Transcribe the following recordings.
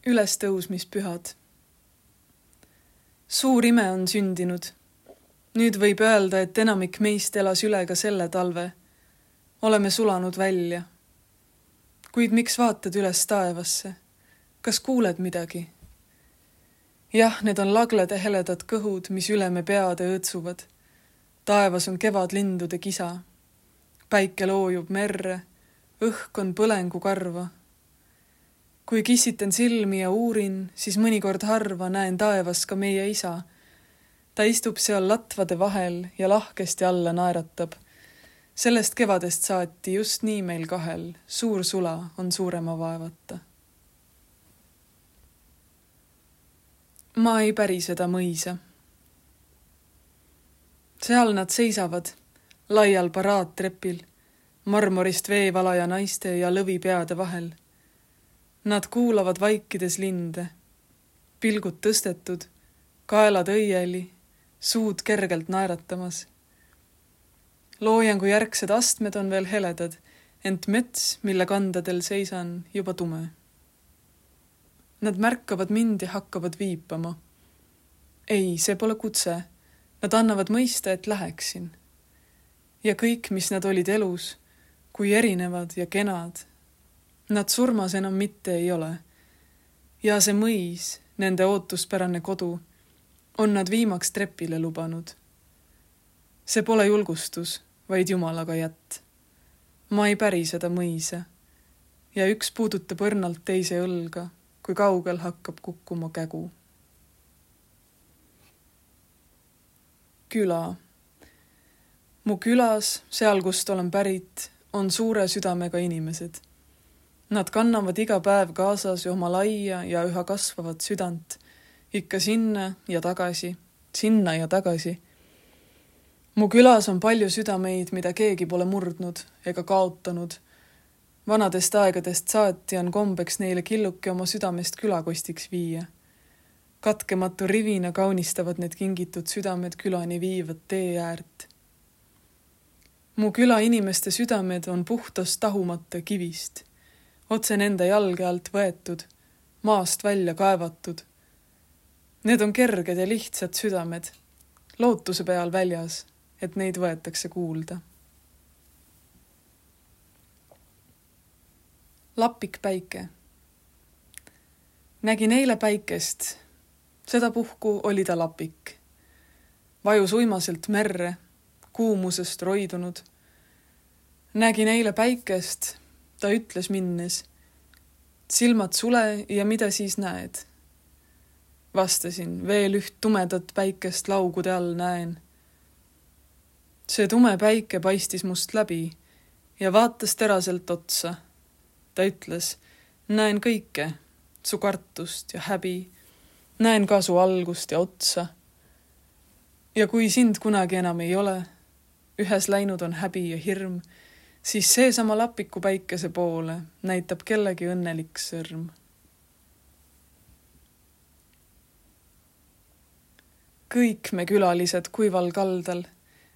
Ülestõusmispühad. Suur ime on sündinud. Nüüd võib öelda, et enamik meist elas üle ka selle talve. Oleme sulanud välja. Kuid miks vaatad üles taevasse? Kas kuuled midagi? Jah, need on laglede heledad kõhud, mis üle me peade õõtsuvad. Taevas on kevadlindude kisa. Päike loojub merre, õhk on põlengu karva. Kui kissiten silmi ja uurin, siis mõnikord harva näen taevas ka meie isa. Ta istub seal latvade vahel ja lahkesti alla naeratab. Sellest kevadest saati just nii meil kahel, suur sula on suurema vaevata. Ma ei päri seda mõisa. Seal nad seisavad, laial paraadtrepil, marmorist veevalaja naiste ja lõvipeade vahel. Nad kuulavad vaikides linde, pilgud tõstetud, kaelad õieli, suud kergelt naeratamas. Loojangu järgsed astmed on veel heledad, ent mets, mille kandadel seisan, juba tume. Nad märkavad mind ja hakkavad viipama. Ei, see pole kutse. Nad annavad mõista, et läheksin. Ja kõik, mis nad olid elus, kui erinevad ja kenad, nad surmas enam mitte ei ole. Ja see mõis, nende ootuspärane kodu, on nad viimaks trepile lubanud. See pole julgustus, vaid Jumalaga jätt. Ma ei päri seda mõisa. Ja üks puudutab õrnalt teise õlga, kui kaugel hakkab kukkuma kägu. Küla. Mu külas, seal kust olen pärit, on suure südamega inimesed. Nad kannavad iga päev kaasas oma laia ja üha kasvavat südant, ikka sinna ja tagasi. Mu külas on palju südameid, mida keegi pole murdnud ega kaotanud. Vanadest aegadest saati on kombeks neile killuke oma südamest külakostiks viia. Katkematu rivina kaunistavad need kingitud südamed külani viivad tee äärt. Mu küla inimeste südamed on puhtast tahumata kivist. Otse nende jalge alt võetud, maast välja kaevatud. Need on kerged ja lihtsad südamed, lootuse peal väljas, et neid võetakse kuulda. Lapik päike. Nägin eile päikest, sedapuhku oli ta lapik. Vajus uimaselt merre, kuumusest roidunud. Nägin eile päikest, ta ütles minnes, silmad sule ja mida siis näed? Vastasin, veel üht tumedat päikest laugude all näen. See tume päike paistis must läbi ja vaatas teraselt otsa. Ta ütles, näen kõike, su kartust ja häbi, näen ka su algust ja otsa. Ja kui sind kunagi enam ei ole, ühes läinud on häbi ja hirm, siis seesama lapiku päikese poole näitab kellegi õnnelik sõrm. Kõik me külalised kuival kaldal,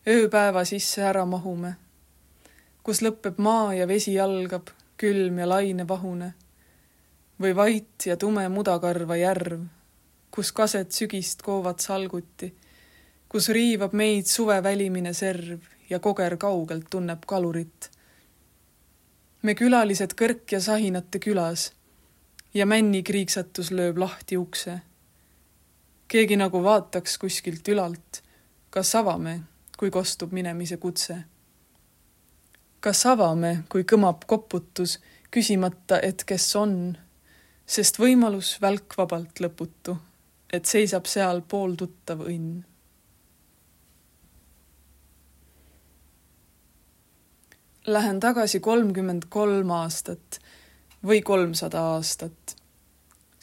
ööpäeva sisse ära mahume, kus lõppeb maa ja vesi algab, külm ja laine vahune, või vait ja tume mudakarva järv, kus kaset sügist koovad salguti, kus riivab meid suve välimine serv ja koger kaugelt tunneb kalurit. Me külalised kõrk ja sahinate külas ja männi kriiksatus lööb lahti ukse. Keegi nagu vaataks kuskilt ülalt, kas avame, kui kostub minemise kutse. Kas avame, kui kõmab koputus, küsimata, et kes on, sest võimalus välk vabalt lõputu, et seisab seal pooltuttav õnn. Lähen tagasi 33 aastat või 300 aastat.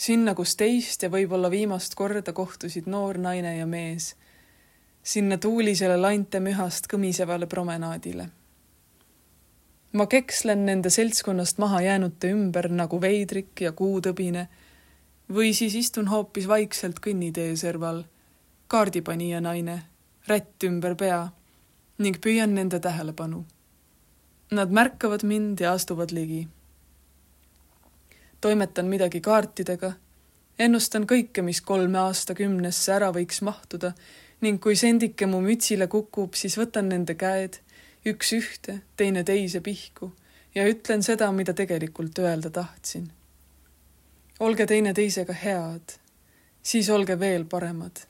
Sinna, kus teist ja võib-olla viimast korda kohtusid noor naine ja mees. Sinna tuulisele lainte mühast kõmisevale promenaadile. Ma kekslen nende seltskonnast maha jäänute ümber nagu veidrik ja kuutõbine või siis istun hoopis vaikselt kõnnitee serval, kaardipanija naine, rätt ümber pea ning püüan nende tähelepanu. Nad märkavad mind ja astuvad ligi. Toimetan midagi kaartidega, Ennustan kõike, mis 3 aastakümnesse ära võiks mahtuda ning kui sendike mu mütsile kukub, siis võtan nende käed, üks ühte, teine teise pihku ja ütlen seda, mida tegelikult öelda tahtsin. Olge teine teisega head, siis olge veel paremad.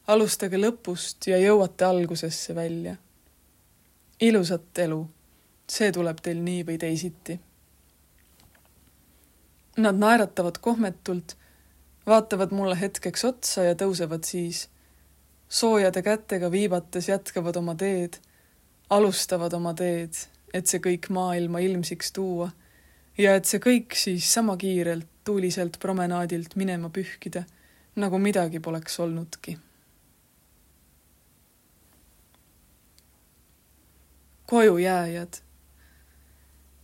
Alustage lõpust ja jõuate algusesse välja. Ilusat elu, see tuleb teil nii või teisiti. Nad naeratavad kohmetult, vaatavad mulle hetkeks otsa ja tõusevad siis. Soojade kätega viibates jätkavad oma teed, alustavad oma teed, et see kõik maailma ilmsiks tuua ja et see kõik siis sama kiirelt tuuliselt promenaadilt minema pühkida, nagu midagi poleks olnudki. Koju jääjad.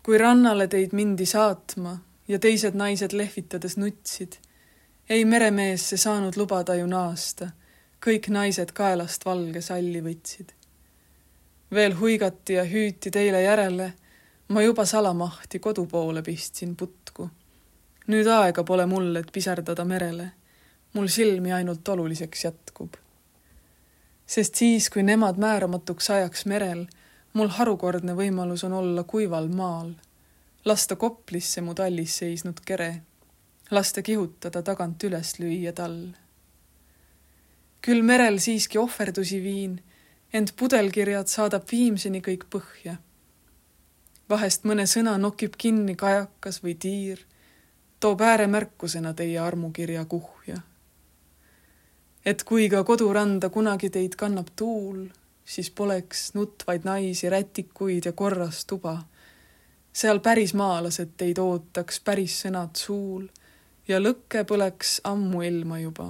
Kui rannale teid mindi saatma ja teised naised lehvitades nutsid, ei meremees see saanud lubada ju naasta, kõik naised kaelast valge salli võtsid. Veel huigati ja hüüti teile järele, ma juba salamahti kodu poole pistsin putku. Nüüd aega pole mul, et pisardada merele, mul silmi ainult oluliseks jätkub. Sest siis, kui nemad määramatuks ajaks merel, mul harukordne võimalus on olla kuival maal, lasta Koplisse mu tallis seisnud kere, lasta kihutada tagant üles lüüa tall. Küll merel siiski ohverdusi viin, ent pudelkirjad saadab viimseni kõik põhja. Vahest mõne sõna nokib kinni kajakas või tiir, toob ääremärkusena teie armukirja kuhja. Et kui ka koduranda kunagi teid kannab tuul, siis poleks nutvaid naisi, rätikuid ja korras tuba. Seal päris maalased teid ootaks päris sõnad suul ja lõkke põleks ammu ilma juba.